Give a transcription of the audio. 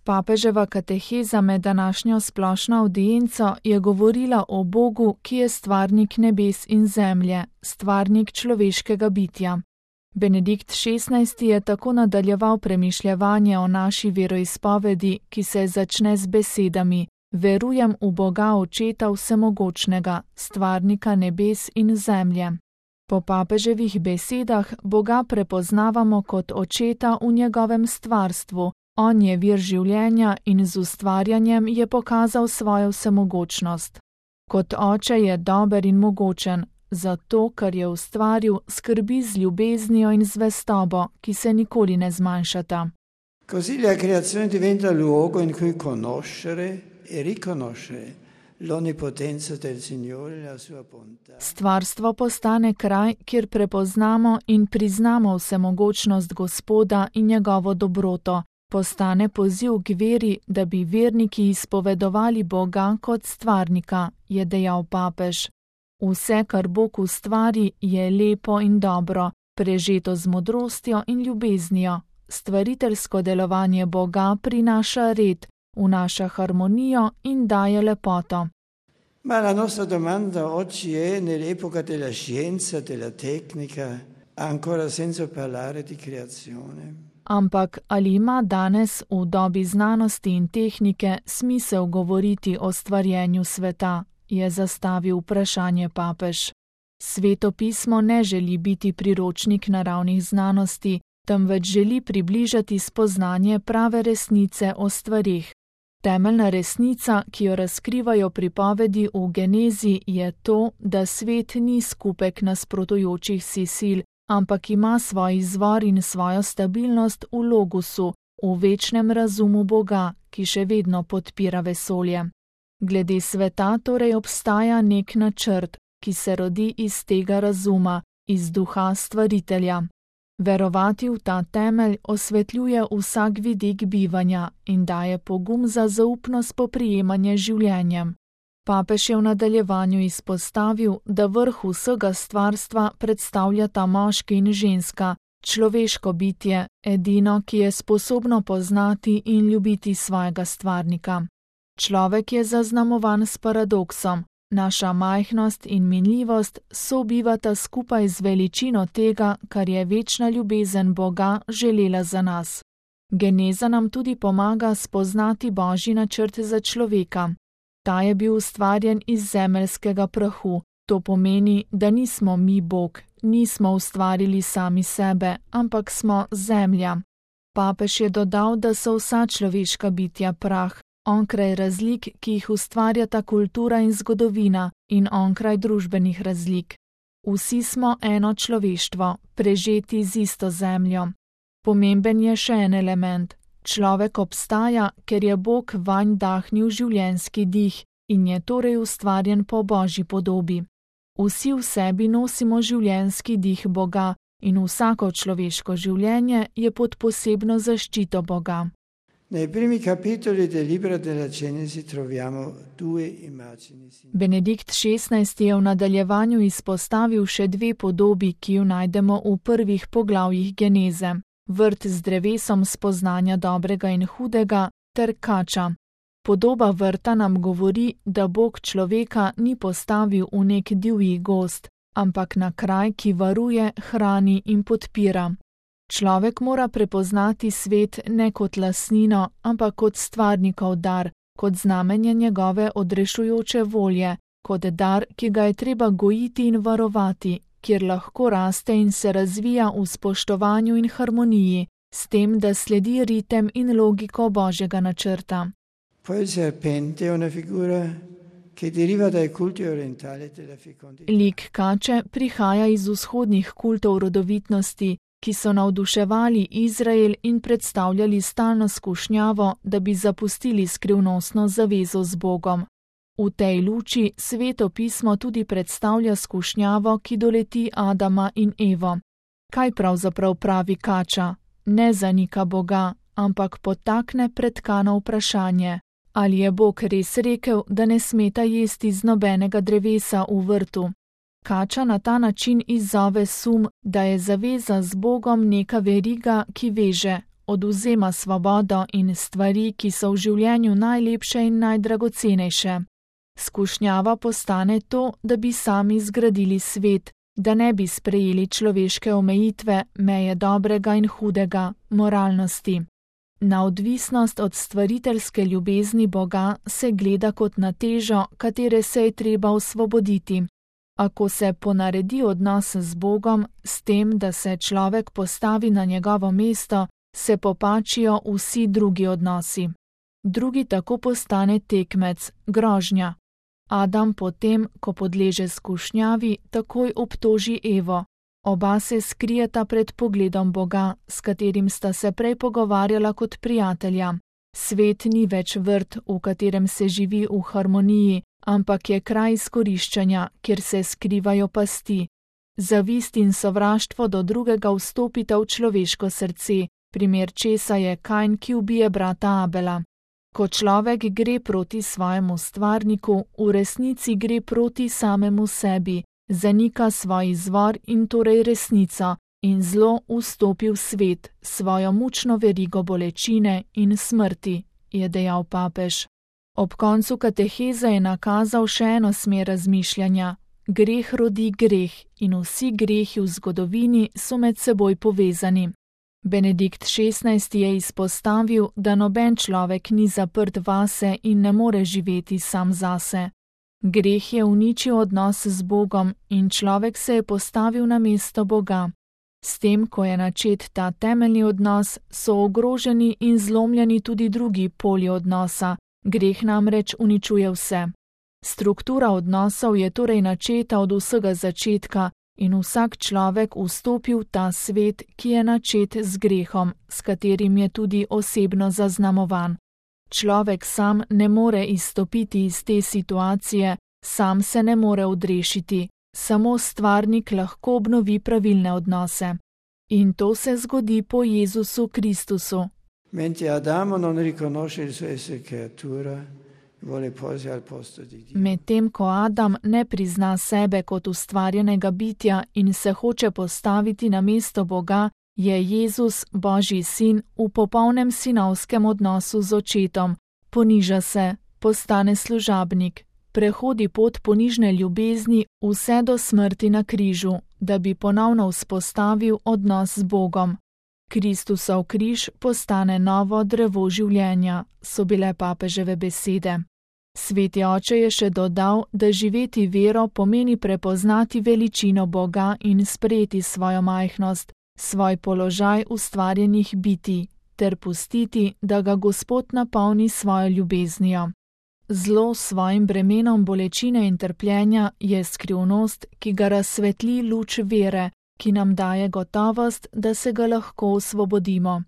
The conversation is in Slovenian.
Papeževa kateheza med današnjo splošno avdienco je govorila o Bogu, ki je stvarnik nebes in zemlje, stvarnik človeškega bitja. Benedikt XVI. Je tako nadaljeval premišljevanje o naši veroizpovedi, ki se začne z besedami: Verujem v Boga Očeta Vsemogočnega, stvarnika nebes in zemlje. Po papeževih besedah Boga prepoznavamo kot Očeta v njegovem stvarstvu. On je vir življenja in z ustvarjanjem je pokazal svojo vsemogočnost. Kot oče je dober in mogočen, zato, ker je ustvaril, skrbi z ljubeznijo in zvestobo, ki se nikoli ne zmanjšata. Così la creazione diventa luogo in cui conoscere e riconoscere l'onnipotenza del Signore e la sua bontà. Stvarstvo postane kraj, kjer prepoznamo in priznamo vsemogočnost Gospoda in njegovo dobroto. Postane poziv k veri, da bi verniki izpovedovali Boga kot stvarnika, je dejal papež. Vse, kar Bog ustvari, je lepo in dobro, prežeto z modrostjo in ljubeznijo. Stvariteljsko delovanje Boga prinaša red, vnaša harmonijo in daje lepoto. Ma la nostra domanda oggi è nell'epoca della scienza, della tecnica, ancora senza parlare di creazione. Ampak ali ima danes v dobi znanosti in tehnike smisel govoriti o stvarjenju sveta, je zastavil vprašanje papež. Sveto pismo ne želi biti priročnik naravnih znanosti, temveč želi približati spoznanje prave resnice o stvarih. Temeljna resnica, ki jo razkrivajo pripovedi v Genezi, je to, da svet ni skupek nasprotujočih si sil, ampak ima svoj izvor in svojo stabilnost v logosu, v večnem razumu Boga, ki še vedno podpira vesolje. Glede sveta torej obstaja nek načrt, ki se rodi iz tega razuma, iz duha stvaritelja. Verovati v ta temelj osvetljuje vsak vidik bivanja in daje pogum za zaupno spoprijemanje življenjem. Papež je v nadaljevanju izpostavil, da vrh vsega stvarstva predstavljata moški in ženska, človeško bitje, edino, ki je sposobno poznati in ljubiti svojega stvarnika. Človek je zaznamovan s paradoksom. Naša majhnost in minljivost sobivata skupaj z veličino tega, kar je večna ljubezen Boga želela za nas. Geneza nam tudi pomaga spoznati Božji načrt za človeka. Ta je bil ustvarjen iz zemeljskega prahu. To pomeni, da nismo mi Bog, nismo ustvarili sami sebe, ampak smo zemlja. Papež je dodal, da so vsa človeška bitja prah, onkraj razlik, ki jih ustvarjata kultura in zgodovina, in onkraj družbenih razlik. Vsi smo eno človeštvo, prežeti z isto zemljo. Pomemben je še en element. Človek obstaja, ker je Bog vanj dahnil življenjski dih in je torej ustvarjen po Božji podobi. Vsi v sebi nosimo življenjski dih Boga in vsako človeško življenje je pod posebno zaščito Boga. Nei primi capitoli del libro della Genesi troviamo due immagini. Benedikt XVI. Je v nadaljevanju izpostavil še dve podobi, ki jo najdemo v prvih poglavjih Geneze. Vrt z drevesom spoznanja dobrega in hudega ter kača. Podoba vrta nam govori, da Bog človeka ni postavil v nek divji gozd, ampak na kraj, ki varuje, hrani in podpira. Človek mora prepoznati svet ne kot lastnino, ampak kot stvarnikov dar, kot znamenje njegove odrešujoče volje, kot dar, ki ga je treba gojiti in varovati, kjer lahko raste in se razvija v spoštovanju in harmoniji, s tem, da sledi ritem in logiko Božjega načrta. Poi il serpente è una figura che deriva dai culti orientali della fecondità. Lik kače prihaja iz vzhodnih kultov rodovitnosti, ki so navduševali Izrael in predstavljali stalno skušnjavo, da bi zapustili skrivnostno zavezo z Bogom. V tej luči Sveto pismo tudi predstavlja skušnjavo, ki doleti Adama in Evo. Kaj pravzaprav pravi kača? Ne zanika Boga, ampak potakne pretkano vprašanje. Ali je Bog res rekel, da ne smeta jesti z nobenega drevesa v vrtu? Kača na ta način izzove sum, da je zaveza z Bogom neka veriga, ki veže, odvzema svobodo in stvari, ki so v življenju najlepše in najdragocenejše. Skušnjava postane to, da bi sami zgradili svet, da ne bi sprejeli človeške omejitve, meje dobrega in hudega, moralnosti. Na odvisnost od stvariteljske ljubezni Boga se gleda kot na težo, katere se je treba osvoboditi. Ako se ponaredi odnos z Bogom, s tem, da se človek postavi na njegovo mesto, se popačijo vsi drugi odnosi. Drugi tako postane tekmec, grožnja. Adam potem, ko podleže skušnjavi, takoj obtoži Evo. Oba se skrijeta pred pogledom Boga, s katerim sta se prej pogovarjala kot prijatelja. Svet ni več vrt, v katerem se živi v harmoniji, ampak je kraj izkoriščanja, kjer se skrivajo pasti. Zavist in sovraštvo do drugega vstopita v človeško srce, primer česa je Kain, ki ubije brata Abela. Ko človek gre proti svojemu stvarniku, v resnici gre proti samemu sebi, zanika svoj izvor in torej resnico, in zlo vstopi v svet, svojo mučno verigo bolečine in smrti, je dejal papež. Ob koncu kateheze je nakazal še eno smer razmišljanja. Greh rodi greh in vsi grehi v zgodovini so med seboj povezani. Benedikt XVI je izpostavil, da noben človek ni zaprt vase in ne more živeti sam zase. Greh je uničil odnos z Bogom in človek se je postavil na mesto Boga. S tem, ko je načet ta temeljni odnos, so ogroženi in zlomljeni tudi drugi polji odnosa. Greh namreč uničuje vse. Struktura odnosov je torej načeta od vsega začetka in vsak človek vstopi v ta svet, ki je načet z grehom, s katerim je tudi osebno zaznamovan. Človek sam ne more izstopiti iz te situacije, sam se ne more odrešiti, samo stvarnik lahko obnovi pravilne odnose. In to se zgodi po Jezusu Kristusu. Mentre Adamo non riconosce il suo essere creatura, vuole porsi al posto di Dio. Medtem ko Adam ne prizna sebe kot ustvarjenega bitja in se hoče postaviti na mesto Boga, je Jezus, Božji sin, v popolnem sinovskem odnosu z očetom. Poniža se, postane služabnik, prehodi pot ponižne ljubezni vse do smrti na križu, da bi ponovno vzpostavil odnos z Bogom. Kristusov križ postane novo drevo življenja, so bile papeževe besede. Sveti oče je še dodal, da živeti vero pomeni prepoznati veličino Boga in sprejeti svojo majhnost, svoj položaj ustvarjenih bitij, ter pustiti, da ga Gospod napolni svojo ljubeznijo. Zlo s svojim bremenom bolečine in trpljenja je skrivnost, ki ga razsvetli luč vere, ki nam daje gotovost, da se ga lahko osvobodimo.